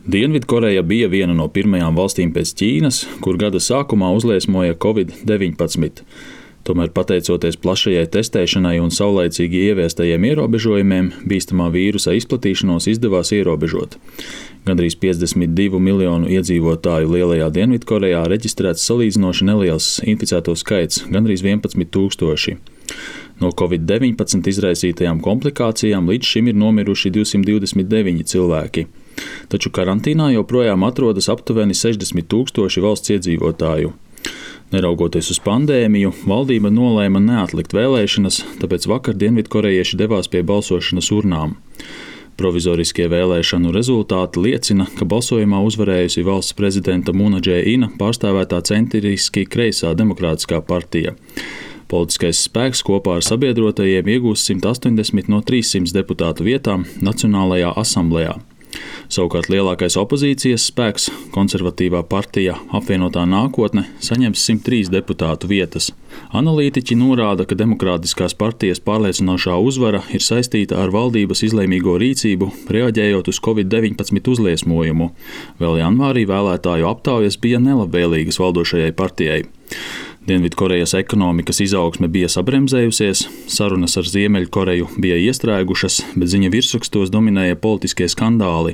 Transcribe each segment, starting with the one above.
Dienvidkoreja bija viena no pirmajām valstīm pēc Ķīnas, kur gada sākumā uzliesmoja Covid-19. Tomēr, pateicoties plašajai testēšanai un saulaicīgi ieviestajiem ierobežojumiem, bīstamā vīrusa izplatīšanos izdevās ierobežot. Gandrīz 52 miljonu iedzīvotāju lielajā Dienvidkorejā reģistrēts salīdzinoši neliels inficēto skaits – gandrīz 11 000. No Covid-19 izraisītajām komplikācijām līdz šim ir nomiruši 229 cilvēki. Taču karantīnā joprojām atrodas aptuveni 60 000 valsts iedzīvotāju. Neraugoties uz pandēmiju, valdība nolēma neatlikt vēlēšanas, tāpēc vakar dienvidkorejieši devās pie balsošanas urnām. Provizoriskie vēlēšanu rezultāti liecina, ka balsojumā uzvarējusi valsts prezidenta Mūna Džē-ina pārstāvētā centriski kreisā demokrātiskā partija. Politiskais spēks kopā ar sabiedrotajiem iegūs 180 no 300 deputātu vietām Nacionālajā asamblejā. Savukārt lielākais opozīcijas spēks, konservatīvā partija Apvienotā nākotne, saņems 103 deputātu vietas. Analītiķi norāda, ka demokrātiskās partijas pārliecinošā uzvara ir saistīta ar valdības izlēmīgo rīcību, reaģējot uz Covid-19 uzliesmojumu. Vēl janvārī vēlētāju aptaujas bija nelabvēlīgas valdošajai partijai. Dienvidkorejas ekonomikas izaugsme bija sabremzējusies, sarunas ar Ziemeļkoreju bija iestrēgušas, bet ziņa virsrakstos dominēja politiskie skandāli.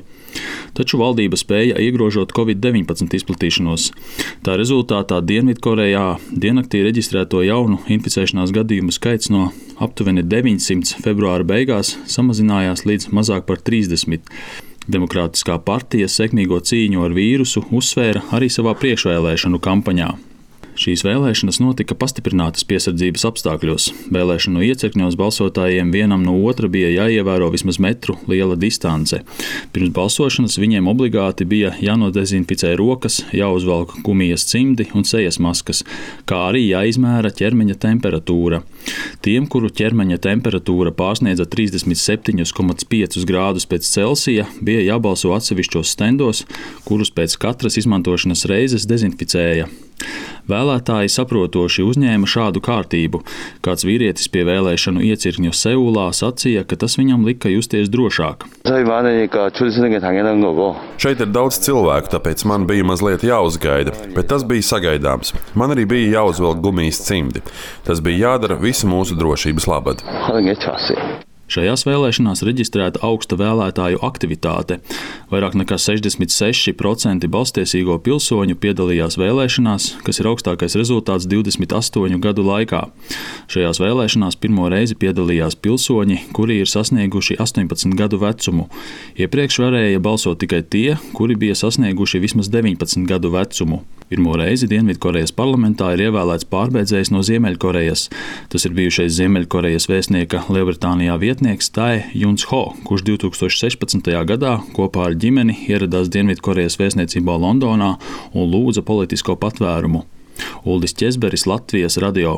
Taču valdība spēja iegrožot Covid-19 izplatīšanos. Tā rezultātā Dienvidkorejā diennaktī reģistrēto jaunu inficēšanās gadījumu skaits no aptuveni 900 februāra beigās samazinājās līdz mazāk par 30. Demokrātiskā partija sekmīgo cīņu ar vīrusu uzsvēra arī savā priekšvēlēšanu kampaņā. Šīs vēlēšanas notika pastiprinātas piesardzības apstākļos. Vēlēšanu iecirkņos balsotājiem vienam no otra bija jāievēro vismaz metru liela distance. Pirms balsošanas viņiem obligāti bija jānodezinficē rokas, jāuzvelk gumijas cimdi un sejas maskas, kā arī jāizmēra ķermeņa temperatūra. Tiem, kuru ķermeņa temperatūra pārsniedza 37,5 grādus pēc Celsija, bija jābalso atsevišķos stendos, kurus pēc katras izmantošanas reizes dezinficēja. Vēlētāji saprotoši uzņēma šādu kārtību. Kāds vīrietis pie vēlēšanu iecirkņu Seulā sacīja, ka tas viņam lika justies drošāk. Šeit ir daudz cilvēku, tāpēc man bija mazliet jāuzgaida, bet tas bija sagaidāms. Man arī bija jāuzvelk gumijas cimdi. Tas bija jādara visu mūsu drošības labad. Šajās vēlēšanās reģistrēta augsta vēlētāju aktivitāte. Vairāk nekā 66% balstiesīgo pilsoņu piedalījās vēlēšanās, kas ir augstākais rezultāts 28 gadu laikā. Šajās vēlēšanās pirmo reizi piedalījās pilsoņi, kuri ir sasnieguši 18 gadu vecumu. Iepriekš varēja balsot tikai tie, kuri bija sasnieguši vismaz 19 gadu vecumu. Pirmo reizi Dienvidkorejas parlamentā ir ievēlēts pārbēdzējs no Ziemeļkorejas. Tas ir bijušais Ziemeļkorejas vēstnieka Lielbritānijā vietnieks Tae Juns Ho, kurš 2016. gadā kopā ar ģimeni ieradās Dienvidkorejas vēstniecībā Londonā un lūdza politisko patvērumu. Uldis Ķezberis, Latvijas radio.